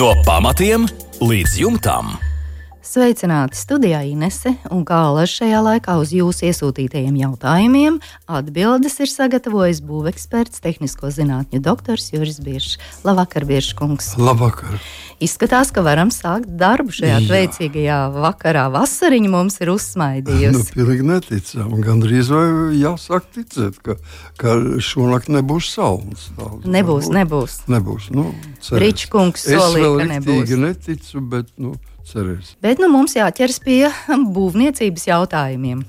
No pamatiem līdz jumtam. Sveicināti studijā Inese, un kā alaži šajā laikā uz jūsu iesūtītajiem jautājumiem atbildes ir sagatavojis būveksperts, tehnisko zinātņu doktors Juris Biršs. Labvakar, Biršs kungs! Labvakar! Izskatās, ka varam sākt darbu šajā veicīgajā vakarā. Vasariņa mums ir uzsmaidījusi. Pilnīgi neticam. Gandrīz vai jāsāk ticēt, ka šonakt nebūs saules. Nebūs. Ričs kungs solīja, ka nebūs. Es vēl riktīgi neticu, bet, cerēs. Bet mums jāķers pie būvniecības jautājumiem.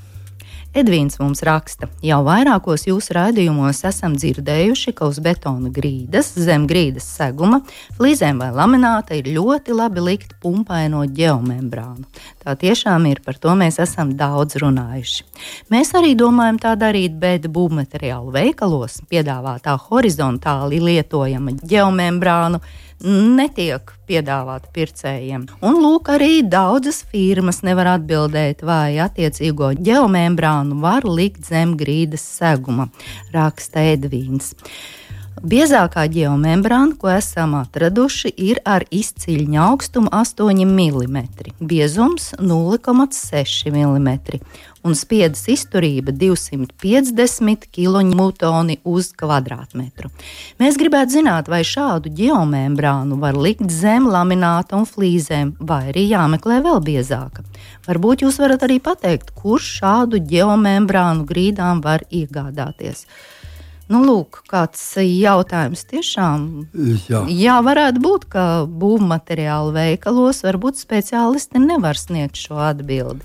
Edvīns mums raksta, jau vairākos jūsu raidījumos esam dzirdējuši, ka uz betona grīdas, zem grīdas seguma, flīzēm vai lamināta ir ļoti labi likt pumpaino ģeomembrānu. Tā tiešām ir, par to mēs esam daudz runājuši. Mēs arī domājam tā darīt, bet būvmateriālu veikalos piedāvātā horizontāli lietojama ģeomembrānu netiek piedāvāta pircējiem. Un lūk, arī daudzas firmas nevar atbildēt, vai attiecīgo ģeomembrānu var likt zem grīdas seguma, raksta Edvīns. Biezākā ģeomembrāna, ko esam atraduši, ir ar izciļņa augstumu 8 mm, biezums 0,6 mm un spiedas izturība 250 kN uz kvadrātmetru. Mēs gribētu zināt, vai šādu ģeomembrānu var likt zem lamināta un flīzēm, vai arī jāmeklē vēl biezāka. Varbūt jūs varat arī pateikt, kurš šādu ģeomembrānu grīdām var iegādāties. Lūk, kāds jautājums tiešām. Jā, varētu būt, ka būvmateriālu veikalos varbūt speciālisti nevar sniegt šo atbildi.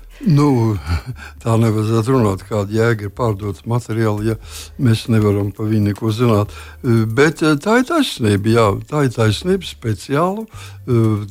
Tā nevajadzētu runāt, kāda jēga ir pārdotas materiāli, ja mēs nevaram par viņu neko zināt. Bet tā ir taisnība, speciālu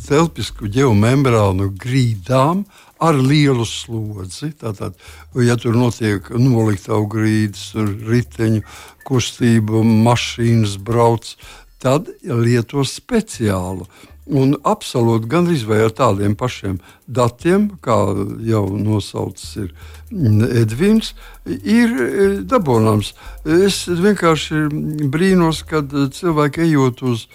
telpisku ģeomembrānu grīdām ar lielu slodzi. Tātad, ja tur notiek noliktavu grīdas, riteņu kustība, mašīnas brauc, tad lieto speciālu. Un absolūti gandrīz vai ar tādiem pašiem datiem, kā jau nosaucis ir Edvīns, ir dabūnams. Es vienkārši brīnos, kad cilvēki ejot uz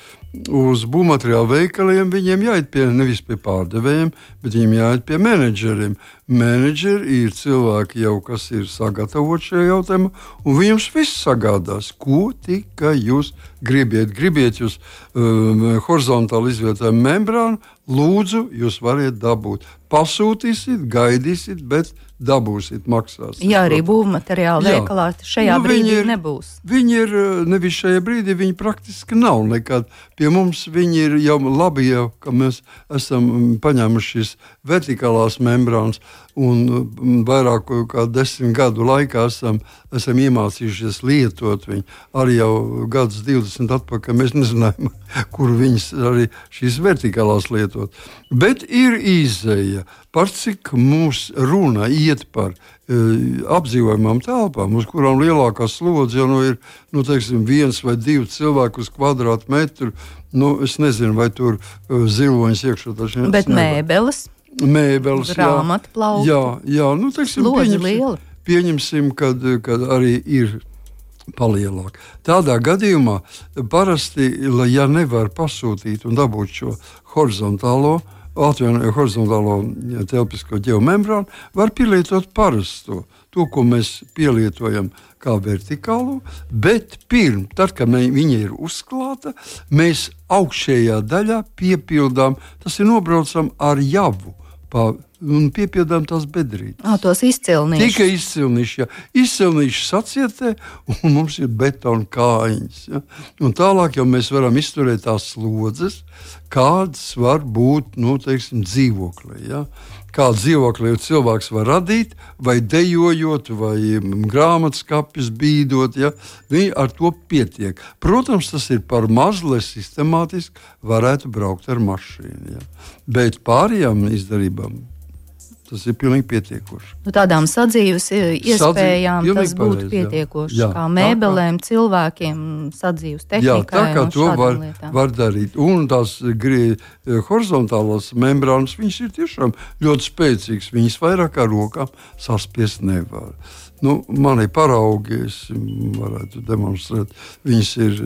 būvmateriālu veikaliem, viņiem jāiet nevis pie pārdevējiem, bet viņiem jāiet pie menedžeriem. Menedžeri ir cilvēki jau, kas ir sagatavoti šajā jautājumā, un viņus viss sagādās, ko tikai jūs gribiet jūs horizontāli izvietojumu membrānu, lūdzu, jūs variet dabūt. Pasūtīsiet, gaidīsiet, bet dabūsiet, maksāsiet. Jā, arī būvmateriālu veikalā šajā brīdī nebūs. Viņi ir nevis šajā brīdī, viņi praktiski nav nekad. Pie mums viņi ir jau labi, ka mēs esam paņēmuši šīs vertikālās membrānas un vairāk kā 10 gadu laikā esam iemācījušies lietot viņu. Arī jau gadus 20 atpakaļ mēs nezinājām, kur viņas arī šīs vertikālās lietot. Bet ir izēja, par cik mums runa iet par apdzīvojamām telpām, uz kurām lielākā slodze jau ir, viens vai divi cilvēki uz kvadrātmetru. Es nezinu, vai tur ziloņas iekšā taču. Bet mēbeles, grāmatplauki. Slodze liela. Pieņemsim, kad arī ir palielāk. Tādā gadījumā parasti, ja nevar pasūtīt un dabūt šo horizontālo telpisko ģeomembrānu, var pielietot parasto, to, ko mēs pielietojam kā vertikālo, bet tad, kad viņa ir uzklāta, mēs augšējā daļā piepildām, tas ir nobraucam ar javu, un piepildām tās bedrītes. Tos izcilnīšus. Tikai izcilnīši, jā. Izcilnīši sacietē, un mums ir betona kājiņas. Ja? Un tālāk jau mēs varam izturēt tās slodzes, kādas var būt, dzīvoklī. Ja? Kādu dzīvokli cilvēks var radīt, vai dejojot, vai grāmatskapis bīdot, ja? Viņi ar to pietiek. Protams, tas ir par maz, lai sistemātiski varētu braukt ar mašīnu. Ja? Bet pārējām izdarībām tas ir pilnīgi pietiekoši. Tādām sadzīves iespējām tas būtu pietiekoši. Jā, kā mēbelēm, cilvēkiem, sadzīves tehnikai. Tā kā to var darīt. Un tās horizontālās membrānas, viņas ir tiešām ļoti spēcīgas. Viņas vairāk ar rokām saspiest nevar. Mani paraugi, es varētu demonstrēt, viņas ir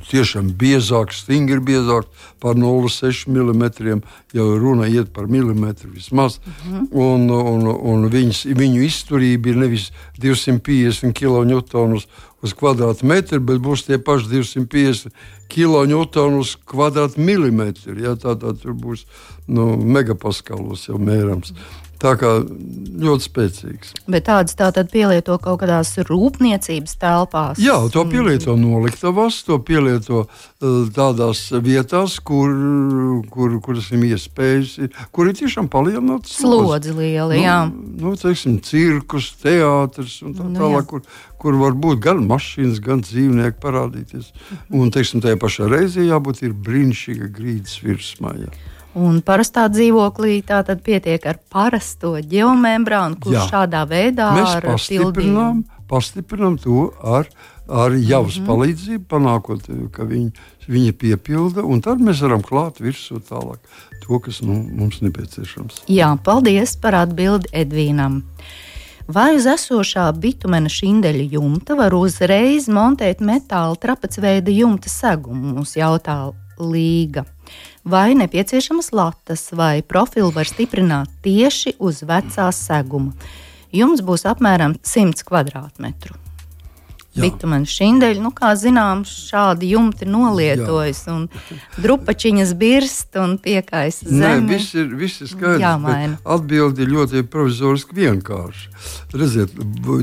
tiešām biezākas, stingri biezākas par 0,6 mm, jau runa iet par milimetru vismaz, un viņu izturība ir nevis 250 kN uz kvadrātmetru, bet būs tie paši 250 kN uz kvadrātmilimetru. Ja, tātad tur būs megapaskalos jau mērams. Tā kā ļoti spēcīgs. Bet tādas tātad pielieto kaut kādās rūpniecības telpās? Jā, to pielieto noliktavās, to pielieto tādās vietās, kuras ir iespējas, kur ir tiešām palielināts slodzi lieli, jā. Teiksim, cirkus, teātris un tālāk, kur var būt gan mašīnas, gan dzīvnieki parādīties. Un, teiksim, tajā pašā reizē jābūt ir brīnišķīga grīdas virsmā, jā. Un parastā dzīvoklī tātad pietiek ar parasto ģeomembrānu, kurš šādā veidā mēs pastiprinām to ar javas palīdzību, panākot, ka viņa piepilda, un tad mēs varam klāt virsū tālāk to, kas mums nepieciešams. Jā, paldies par atbildi Edvīnam. Vai uz esošā bitumena šindeļa jumta var uzreiz montēt metāla trapecveida jumta segumu, mums jautā Līga. Vai nepieciešamas latas vai profilu var stiprināt tieši uz vecā seguma? Jums būs apmēram 100 kvadrātmetru. Bitumena šindeļi, kā zināms, šādi jumti nolietojas un drupačiņas birst un piekaisa zemi. Nē, viss ir skaidrs. Atbildi ir ļoti provizoriski vienkārši. Redziet,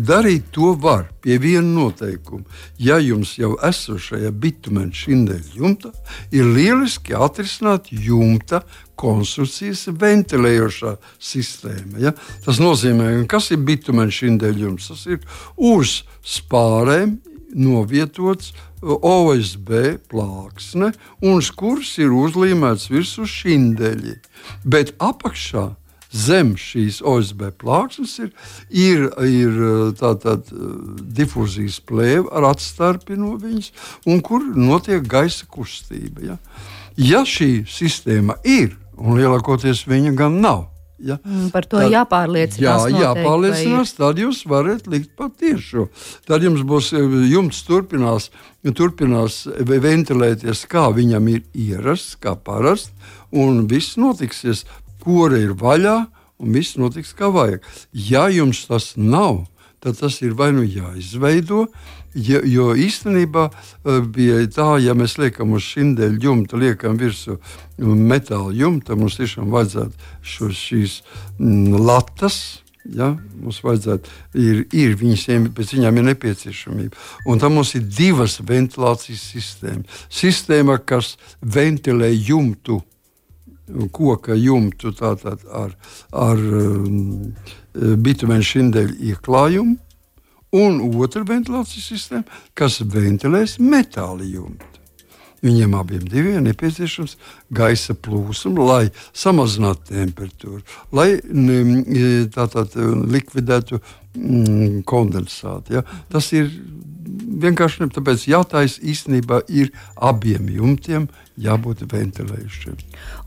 darīt to var pie viena noteikuma. Ja jums jau esošajā bitumena šindeļa jumta ir lieliski atrisināt jumta konstrukcijas ventilējošā sistēma. Ja? Tas nozīmē, kas ir bitumena šindeļa jumts? Tas ir uz spārēm novietots OSB plāksne, un uz kuras ir uzlīmēts virsū šindeļi. Bet apakšā zem šīs OSB plāksnes ir tātad difūzijas plēve ar atstarpi no viņas, un kur notiek gaisa kustība. Ja šī sistēma ir, un lielākoties viņa gan nav, par to jāpārliecinās. Jāpārliecinās, tad jūs varat likt patiešo. Tad jums būs jumts turpinās ventilēties, kā viņam ir ierasts, kā parasti, un viss notiksies, kora ir vaļā, un viss notiks kā vajag. Ja jums tas nav, tad tas ir vai jāizveido, jo īstenībā bija tā, ja mēs liekam uz šindeļa jumta, liekam virsū metāla jumta, mums tiešām vajadzētu šīs latas, mums vajadzētu, pēc viņām ir nepieciešamība. Un tam mums ir divas ventilācijas sistēmas. Sistēma, kas ventilē jumtu, koka jumtu tātad ar bitumena šindeļa ieklājumu, un otra ventilācijas sistēma, kas ventilēs metāla jumtu. Viņiem abiem diviem nepieciešams gaisa plūsma, lai samazinātu temperatūru, lai tātad likvidētu kondensātu. Ja? Tas ir vienkārši tāpēc jātais īstenībā ir abiem jumtiem jābūt ventilējušiem.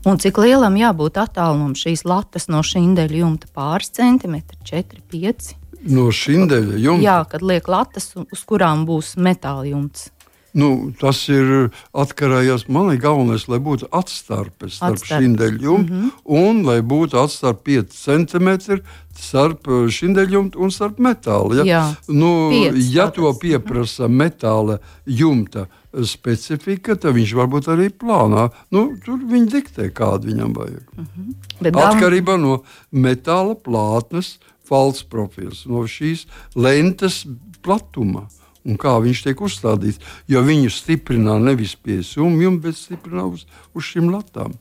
Un cik lielam jābūt attālumam šīs latas no šindeļa jumta? Pāris centimetri, 4, 5? No šindeļa jumta? Jā, kad liek latas, uz kurām būs metāla jumts. Tas ir atkarējās. Man ir galvenais, lai būtu atstarpes starp šindeļa jumtu un lai būtu atstarp 5 centimetri starp šindeļa jumtu un starp metāla. Ja, ja to pieprasa metāla jumta specifika, tad viņš varbūt arī plānā. Tur viņi diktē, kādu viņam vajag. Atkarībā no metāla plātnes falts profils, no šīs lentes platuma. Un kā viņš tiek uzstādīts, jo viņu stiprinā nevis pie sumjuma, bet stiprinā uz šīm latām.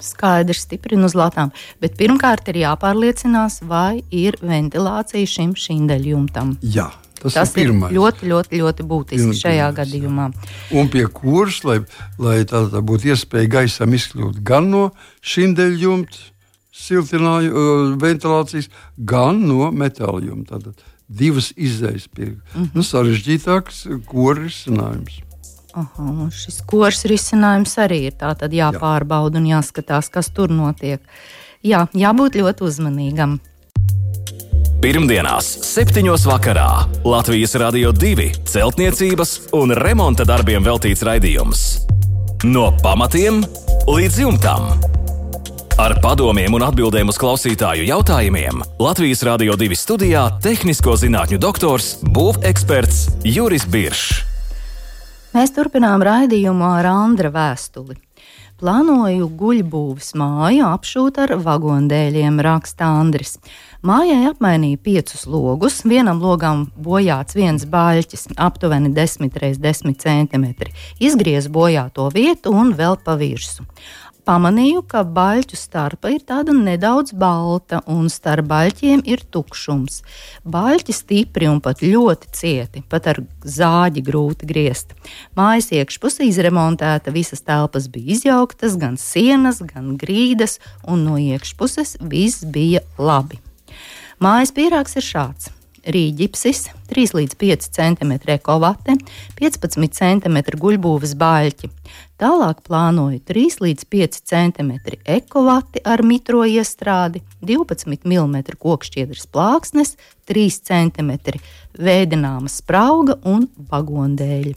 Skaidrs, stiprina uz latām. Bet pirmkārt ir jāpārliecinās, vai ir ventilācija šim šindeļjumtam. Jā, tas ir pirmais. Ļoti, ļoti, ļoti būtiski šajā gadījumā. Un pie kuras, lai tā būtu iespēja gaisam izkļūt gan no šindeļjumta ventilācijas, gan no metāla jumta. Tātad divas izējas pie sarežģītāks kora risinājums. Šis kors risinājums arī ir tātad jāpārbauda un jāskatās, kas tur notiek. Jābūt ļoti uzmanīgam. Pirmdienās, 7. vakarā Latvijas Radio 2 celtniecības un remonta darbiem veltīts raidījums. No pamatiem līdz jumtam. Ar padomiem un atbildēm uz klausītāju jautājumiem Latvijas Radio 2 studijā tehnisko zinātņu doktors, būveksperts Juris Biršs. Mēs turpinām raidījumu ar Andra vēstuli. Plānoju guļbūves māju apšūt ar vagondēļiem, raksta Andris. Mājai apmainīja 5 logus, vienam logam bojāts viens baļķis, aptuveni 10 x 10 cm. Izgriez bojāto vietu un vēl pa virsu. Pamanīju, ka baļķu starpa ir tāda nedaudz balta un starp baļķiem ir tukšums. Baļķi stipri un pat ļoti cieti, pat ar zāģi grūti griezt. Mājas iekšpuse izremontēta, visas telpas bija izjauktas, gan sienas, gan grīdas, un no iekšpuses viss bija labi. Mājas pīrāgs ir šāds. Rīģipsis, 3 līdz 5 cm ekovate, 15 cm guļbūves baļķi. Tālāk plānoju 3 līdz 5 cm ekovati ar mitro iestrādi, 12 mm kokšķiedras plāksnes, 3 cm vēdināma sprauga un vagondēļi.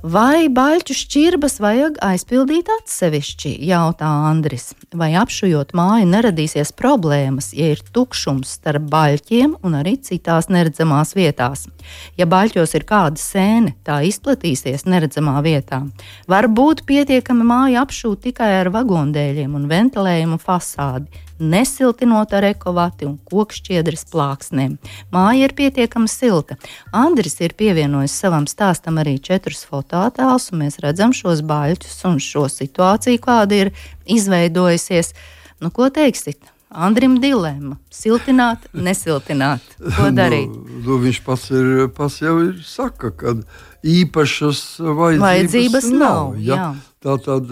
Vai baļķu šķirbas vajag aizpildīt atsevišķi, jautā Andris. Vai apšujot māju neradīsies problēmas, ja ir tukšums starp baļķiem un arī citās neredzamās vietās? Ja baļķos ir kāda sēne, tā izplatīsies neredzamā vietā. Var būt pietiekami māju apšūt tikai ar vagondēļiem un ventilējumu fasādi, nesiltinot ar ekovati un kokšķiedras plāksnēm. Māja ir pietiekami silta. Andris ir pievienojis savam stāstam arī 4 fotoattēlus, un mēs redzam šos baļķus un šo situāciju, kāda ir izveidojusies. Nu, ko teiksit? Andrim dilemma. Siltināt, nesiltināt. Ko darīt? Viņš pats jau saka, ka īpašas vajadzības nav. Ja? Tātad,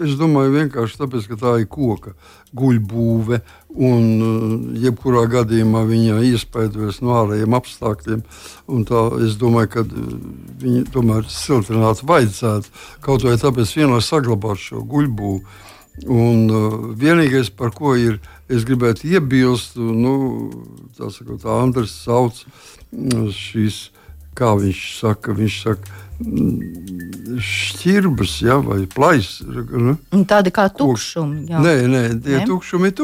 es domāju, vienkārši tāpēc, ka tā ir koka guļbūve un jebkurā gadījumā viņa iespaidojas no ārējiem apstākļiem. Un tā, es domāju, ka viņi tomēr siltināt vajadzētu, kaut vai tāpēc vienmēr saglabāt šo guļbūvu. Un vienīgais, par ko es gribētu iebilst, tā Andris sauc šīs, kā viņš saka, šķirbas, ja, vai plais. Tādi kā tukšumi. Jā. Nē, tie tukšumi ir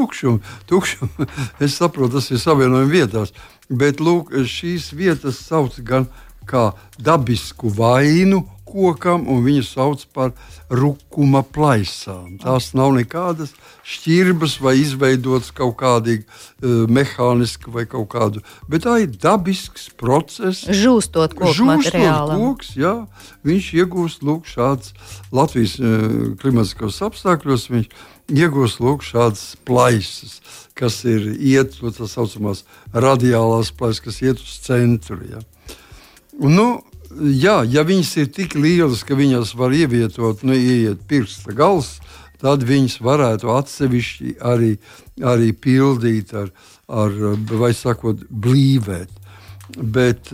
tukšumi. Es saprotu, tas ir savienojumi vietās. Bet, lūk, šīs vietas sauc gan kā dabisku vainu kokam, un viņu sauc par rukuma plaisām. Tās nav nekādas šķirbas vai izveidotas kaut kādīgi mehāniski vai kaut kādu, bet tā ir dabisks process. Žūstot koku materiālam. Koks, jā, viņš iegūst lūk šāds Latvijas klimatiskos apstākļos, viņš iegūst lūk šādas plaisas, kas ir iet, tā saucamās radiālās plaisas, kas iet uz centru, jā. Un, jā, ja viņas ir tik lielas, ka viņas var ievietot, ieiet pirksta gals, tad viņas varētu atsevišķi arī pildīt vai sakot, blīvēt. Bet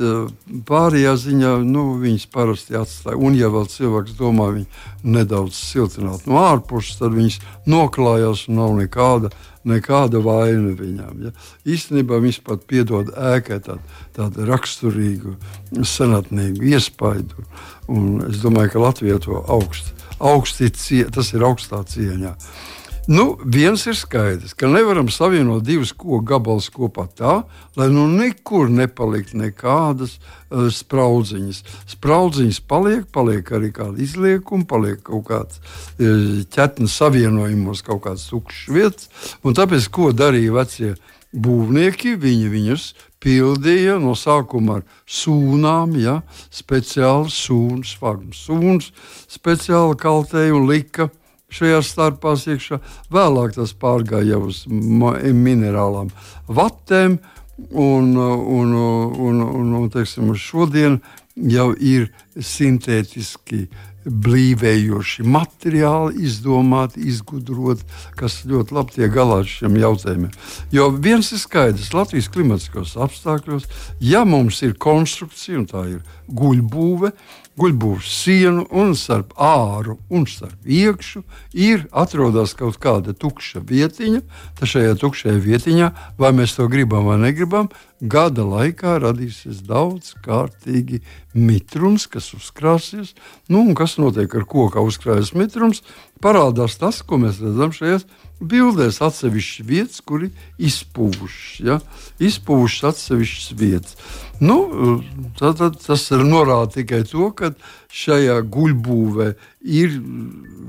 pārējā ziņā, viņas parasti atstāja. Un, ja vēl cilvēks domā viņu nedaudz siltināt no ārpuses, tad viņas noklājās un nav nekāda vaina viņām. Ja? Īstenībā viņas pat piedod ēkai tādu raksturīgu, senatnīgu iespaidu. Un es domāju, ka Latvijā to tas ir augstā cieņā. Viens ir skaidrs, ka nevaram savienot 2 koku gabalus kopā tā, lai nekur nepalikt nekādas spraudziņas. Spraudziņas paliek arī kāda izliekuma, paliek kaut kāds ķetnes savienojumos, kaut kāds tukšs vietas. Un tāpēc, ko darīja vecie būvnieki, viņi viņus pildīja no sākuma ar sūnām, ja, speciāli sūnas, sūnas speciāli kaltēja un lika šajās starpās iekšā. Vēlāk tas pārgāja jau uz minerālām vatēm, un teiksim, šodien jau ir sintētiski blīvējoši materiāli izdomāti, izgudroti, kas ļoti labi tiek galā ar šiem jautājumiem. Jo viens ir skaidrs, Latvijas klimatiskos apstākļos, ja mums ir konstrukcija, un tā ir guļbūve, guļbūves sienu un starp āru un starp iekšu atrodas kaut kāda tukša vietiņa. Tad šajā tukšajā vietiņā, vai mēs to gribam vai negribam, gada laikā radīsies daudz kārtīgi mitrums, kas uzkrāsies. Un kas notiek ar koka uzkrājas mitrums? Parādās tas, ko mēs redzam šajās bildēs, atsevišķas vietas, kuri izpūšas. Ja? Izpūšas atsevišķas vietas. Tas norāda tikai to, ka šajā guļbūvē ir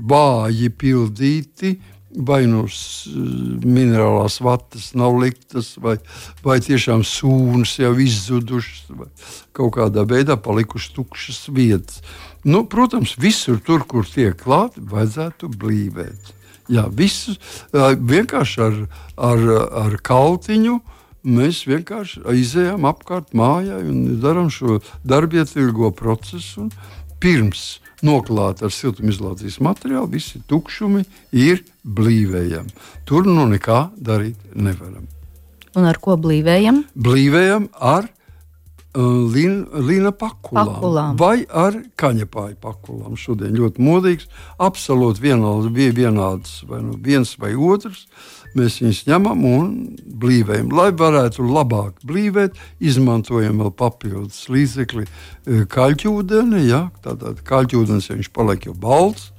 vāji pildīti, vai minerālās vatas nav liktas, vai tiešām sūnas jau izzudušas, vai kaut kādā veidā palikušas tukšas vietas. Protams, visur tur, kur tiek klāti, vajadzētu blīvēt. Jā, visus vienkārši ar kaltiņu mēs vienkārši izejam apkārt mājai un darām šo darbietilgo procesu. Pirms noklāt ar siltumizolācijas materiālu, visi tukšumi ir blīvējami. Tur nekā darīt nevaram. Un ar ko blīvējam? Blīvējam ar līna pakulām vai ar kaņepāju pakulām. Šodien ļoti modīgs, absolūti vienāds vai viens vai otrs. Mēs viņus ņemam un blīvējam. Lai varētu labāk blīvēt, izmantojam vēl papildus līdzekli kaļķūdeni. Ja? Tātad kaļķūdens, ja viņš paliek jau balts,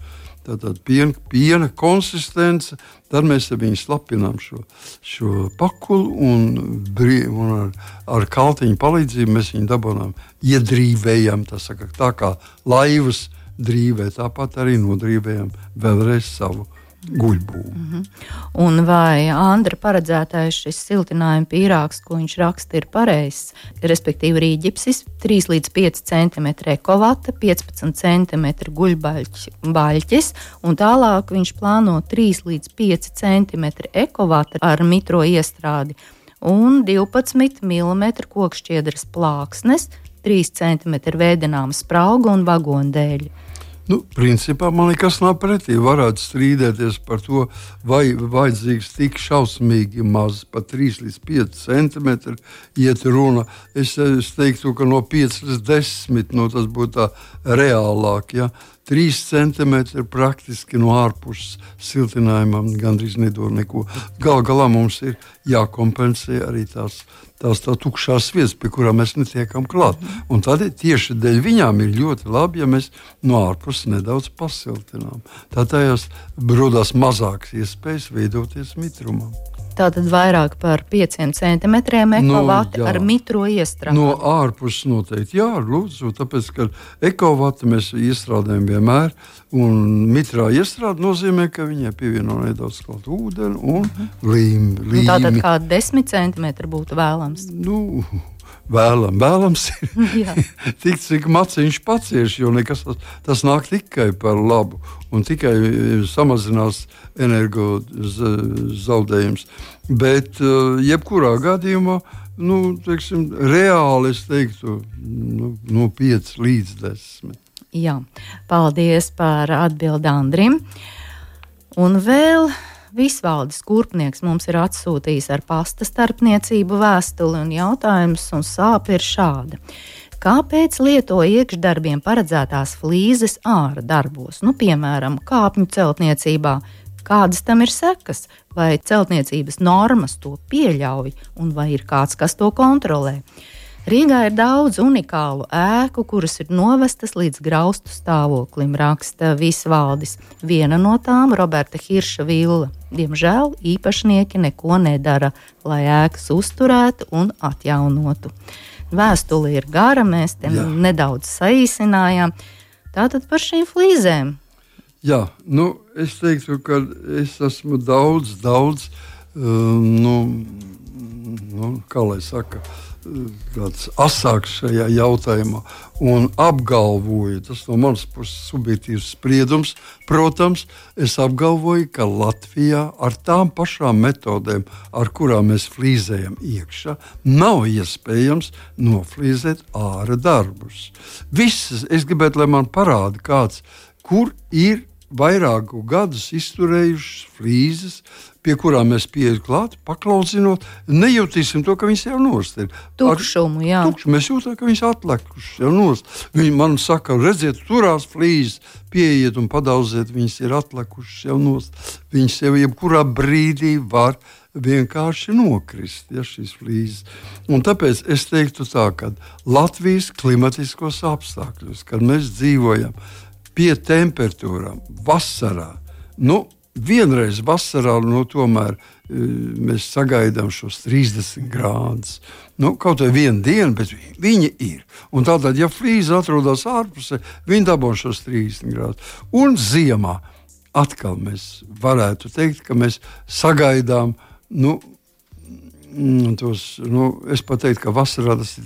tātad piena konsistence, tad mēs viņu slapinām šo pakulu un ar kaltiņu palīdzību mēs viņu dabonām, iedrīvējam, tā kā laivas drīvē, tāpat arī nodrīvējam vēlreiz savu guļbūvi. Un vai Andra paredzētais šis siltinājuma pīrāgs, ko viņš raksta, ir pareizs? Respektīvi rīģipsis 3 līdz 5 cm ekovata, 15 cm guļbaļķis, un tālāk viņš plāno 3 līdz 5 cm ekovata ar mitro iestrādi un 12 mm kokšķiedras plāksnes, 3 cm vēdināma sprauga un vagondēļi. Principā man nekas nav pretī. Varētu strīdēties par to, vai vajadzīgs tik šausmīgi maz, pat 3 līdz 5 centimetri iet runa. Es teiktu, ka no 5 līdz 10, tas būtu tā reālāk. Ja? 3 centimetri praktiski no ārpuses siltinājumam gandrīz nedod neko. Galu galā mums ir jākompensē arī tās tukšās vietas, pie kurām mēs netiekam klāt. Un tad tieši dēļ viņām ir ļoti labi, ja mēs no ārpuses nedaudz pasiltinām. Tādējās rodās mazākas iespējas veidoties mitrumam. Tātad vairāk par 5 centimetriem ekovati ar mitro iestrādi. No ārpuses noteikti, jā, lūdzu, tāpēc, ka ekovati mēs iestrādājam vienmēr, un mitrā iestrāde nozīmē, ka viņai pievieno nedaudz klāt ūdeni un līmi. Tātad kā 10 centimetri būtu vēlams? Vēlams ir tik, cik maciņš pacieš, jo nekas tas nāk tikai par labu un tikai samazinās energo zaudējums. Bet jebkurā gadījumā, reāli es teiktu, no 5 līdz 10. Jā, paldies par atbildi Andrim. Un vēl Visvaldis Kurpnieks mums ir atsūtījis ar pasta starpniecību vēstuli, un jautājums un sāpe ir šāda. Kāpēc lieto iekšdarbiem paredzētās flīzes āra darbos? Piemēram, kāpņu celtniecībā. Kādas tam ir sekas? Vai celtniecības normas to pieļauj, un vai ir kāds, kas to kontrolē? Rīgā ir daudz unikālu ēku, kuras ir novestas līdz graustu stāvoklim, raksta Visvaldis. Viena no tām Roberta Hirša villa. Diemžēl īpašnieki neko nedara, lai ēkas uzturētu un atjaunotu. Vēstule ir gara, mēs te nedaudz saīsinājām. Tātad par šīm flīzēm. Jā, es teiktu, ka es esmu daudz, kā lai saka, tāds asāks šajā jautājumā un apgalvoju, tas no manas puses subjektīvs spriedums, protams, es apgalvoju, ka Latvijā ar tām pašām metodēm, ar kurām mēs flīzējam iekšā, nav iespējams noflīzēt āra darbus. Visas, es gribētu, lai man parāda kāds, kur ir vairāku gadus izturējušas flīzes, pie kurām mēs pieejam klāt, paklaudzinot, nejutīsim to, ka viņas jau nost ir. Tukšumu, jā. Mēs jūtam, ka viņas atlekušas jau nost. Viņi man saka, redziet, turās flīzes, pieiet un padauziet, viņas ir atlekušas jau nost. Viņas jau jebkurā brīdī var vienkārši nokrist, ja, šīs flīzes. Un tāpēc es teiktu tā, ka Latvijas klimatiskos apstākļos, kad mēs dzīvojam pie temperatūrām vasarā, vienreiz vasarā, tomēr mēs sagaidām šos 30 grādus. Kaut vai vienu dienu, bet viņi ir. Un tātad, ja flīze atrodas ārpusē, viņi dabū šos 30 grādus. Un ziemā atkal mēs varētu teikt, ka mēs sagaidām es pat teiktu, ka vasarā tas ir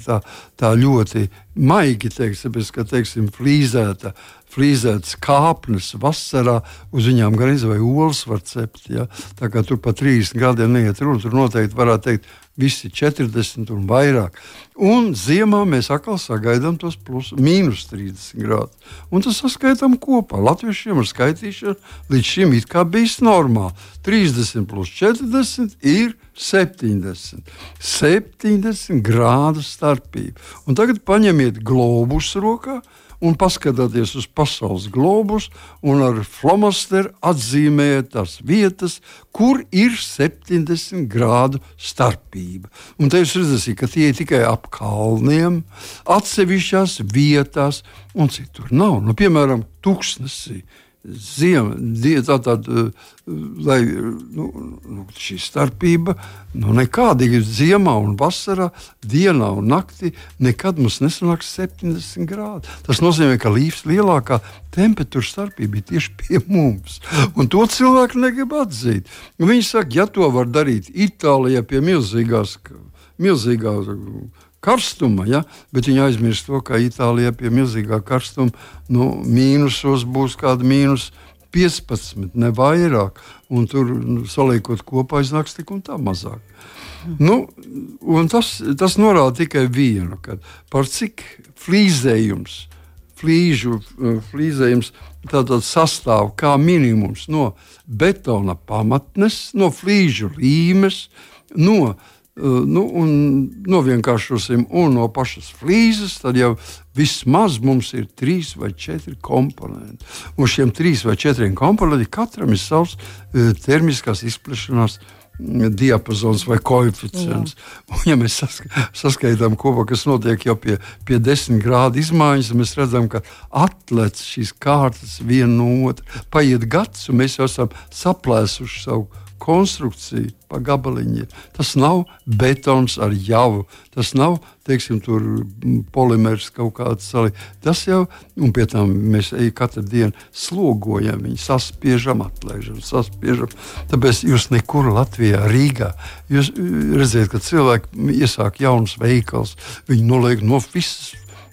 tā ļoti maigi teiks, tāpēc, ka, teiksim, flīzētas kāpnes vasarā, uz viņām gan vai olas var cept, ja? Tā kā tur pa 30 gadiem neiet runa, tur noteikti varētu teikt visi 40 un vairāk. Un ziemā mēs atkal sagaidām tos mīnus 30 grādus. Un tas saskaitām kopā. Latviešiem ar skaitīšanu līdz šim it kā bijis normāli. 30 plus 40 ir 70. 70 grādu starpība. Un tagad paņemiet globusu rokā un paskatieties uz pasaules globus un ar flomasteru atzīmējiet tās vietas, kur ir 70 grādu starpība. Un te jūs redzēsiet, ka tie ir tikai ap kalniem, atsevišķās vietās un citur nav. Piemēram, Tuksnesī. Lai šī starpība nekāda ir ziemā un vasarā, dienā un naktī, nekad mums nesanāks 70 grādi. Tas nozīmē, ka lielākā temperatūra starpība ir tieši pie mums. Un to cilvēki negrib atzīt. Viņi saka, ja to var darīt Itālijā pie milzīgā karstuma, ja? Bet viņi aizmirst to, ka Itālijā pie milzīgā karstuma mīnusos būs kāda mīnus 15, ne vairāk, un tur saliekot kopā iznāks tik un tā mazāk. Un tas norāda tikai vienu, ka par cik flīzējums tātad sastāv kā minimums no betona pamatnes, no flīžu līmes, un novienkāršosim un no pašas flīzes, tad jau vismaz mums ir 3 vai 4 komponenti. Un šiem 3 vai 4 komponentiem katram ir savs termiskās izplešanās diapazons vai koeficients. Un, ja mēs saskaitām kopā, kas notiek jau pie 10 grādu izmaiņas, mēs redzam, ka atlec šīs kārtas viena no otra. Paiet gads, un mēs jau esam saplēsuši savu konstrukciju pa gabaliņiem. Tas nav betons ar javu, tas nav, teiksim, tur polimers kaut kāds salī. Tas jau, un pie tam mēs katru dienu slogojam, viņu saspiežam, atlaižam, saspiežam. Tāpēc jūs nekur Latvijā, Rīgā, jūs redzēt, ka cilvēki iesāk jaunas veikals, viņi noliek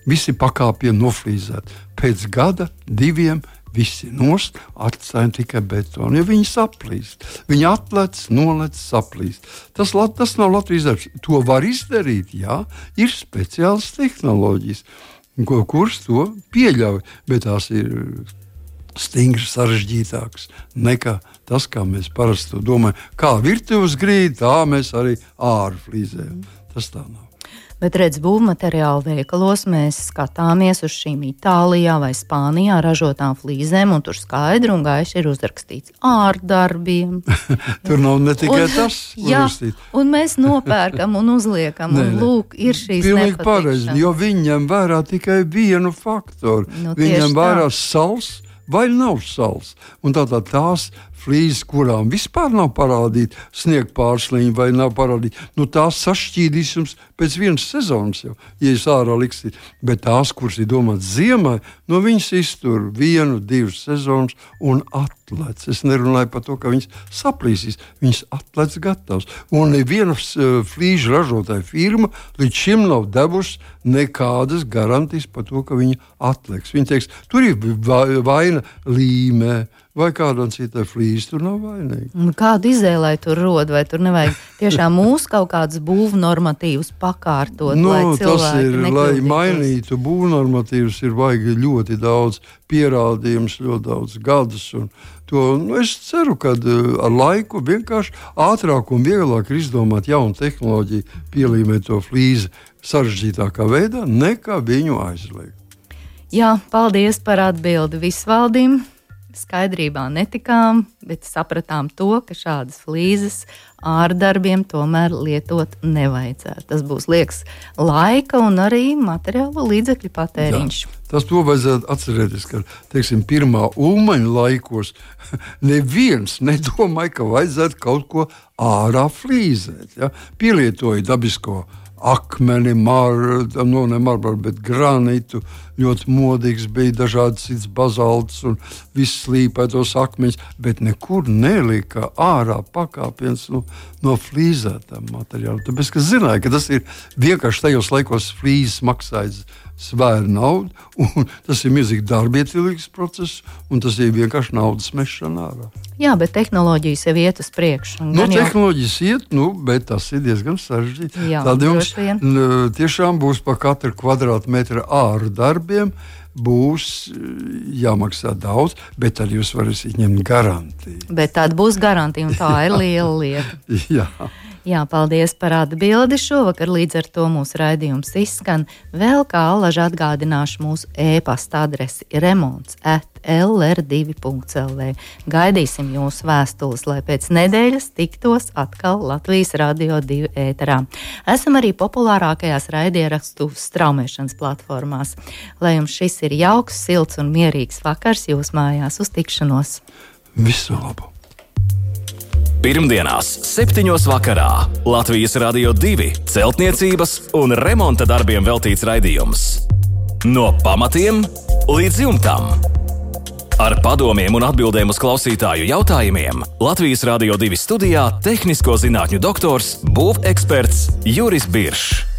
visi pakāpieni noflīzēt. Pēc gada, 2 visi nost, atstājam tikai betonu, jo viņi saplīst. Viņi atlec, nolec, saplīst. Tas nav Latvijas darbs. To var izdarīt, jā, ir speciālas tehnoloģijas, kuras to pieļauj, bet tās ir stingri sarežģītākas nekā tas, kā mēs parasti to domājam. Kā virtuves grīda, tā mēs arī āru flīzējam. Tas tā nav. Bet, redz, būvmateriālu veikalos mēs skatāmies uz šīm Itālijā vai Spānijā ražotām flīzēm, un tur skaidri un gaiši ir uzrakstīts ārdarbiem. Tur nav ne tikai tas uzrakstīts. Un mēs nopērkam un uzliekam, un lūk, ir šīs pilnīgi pareizi, jo viņi ņem vērā tikai vienu faktoru. Viņi ņem vērā sals vai nav sals. Un tātad tās flīzes, kurām vispār nav parādīta sniega pārsliņa vai nav parādīta, tās sašķīdīs jums pēc vienas sezonas jau, ja jūs ārā liksiet. Bet tās, kuras ir domātas ziemai, viņas iztur 1, 2 sezonas un atlec. Es nerunāju par to, ka viņas saplīsīs. Viņas atlec gatavs. Un neviena flīžu ražotāja firma līdz šim nav devusi nekādas garantijas par to, ka viņa atleks. Viņa teiks, tur ir vaina līmē, vai kādam citai flīze tur nav vainīga. Kādu izēlai tur rod, vai tur nevajag tiešām mūsu kaut kādus būvnormatīvus pakārtot, lai cilvēki nekļūdītos? Lai mainītu būvnormatīvus, ir vajag ļoti daudz pierādījumus, ļoti daudz gadus. Es ceru, ka ar laiku vienkārši ātrāk un vieglāk ir izdomāt jaunu tehnoloģiju, pielīmēt to flīzi sarežģītākā veidā, nekā viņu aizliegt. Jā, paldies par atbildi Visvaldim. Skaidrībā netikām, bet sapratām to, ka šādas flīzes ārdarbiem tomēr lietot nevajadzētu. Tas būs liekas laika un arī materiālo līdzekļu patēriņš. Jā, to vajadzētu atcerēties, ka, teiksim, pirmā Ulmaņa laikos neviens nedomāja, ka vajadzētu kaut ko ārā flīzēt. Ja? Pielietoja dabisko akmeni, bet granitu, ļoti modīgs bija dažādas cits bazalts un viss slīpētos akmeņus, bet nekur nelika ārā pakāpiens no flīzētām materiāliem. Tāpēc, ka zināja, ka tas ir vienkārši tajos laikos flīzes maksājas svēra naudu, un tas ir milzīgi darbietilīgs process, un tas ir vienkārši naudas mešana ārā. Jā, bet tehnoloģijas jau iet uz priekšu. Tehnoloģijas iet, bet tas ir diezgan sarežģīti. Tad jums tiešām būs pa katru kvadrātmetru āru darbiem, būs jāmaksā daudz, bet tad jūs varēsiet ņemt garantiju. Bet tad būs garantija, un tā ir liela lieta. Jā, paldies par atbildi. Šovakar līdz ar to mūsu raidījums izskan. Vēl kā allaž atgādināšu mūsu e-pasta adresi remonts@lr2.lv. Gaidīsim jūsu vēstules, lai pēc nedēļas tiktos atkal Latvijas Radio 2 ēterā. Esam arī populārākajās raidierakstu straumēšanas platformās. Lai jums šis ir jauks, silts un mierīgs vakars jūs mājās. Uz tikšanos! Visu labu! Pirmdienās 7. vakarā Latvijas Radio 2 celtniecības un remonta darbiem veltīts raidījums. No pamatiem līdz jumtam. Ar padomiem un atbildēm uz klausītāju jautājumiem Latvijas Radio 2 studijā tehnisko zinātņu doktors, būveksperts Juris Biršs.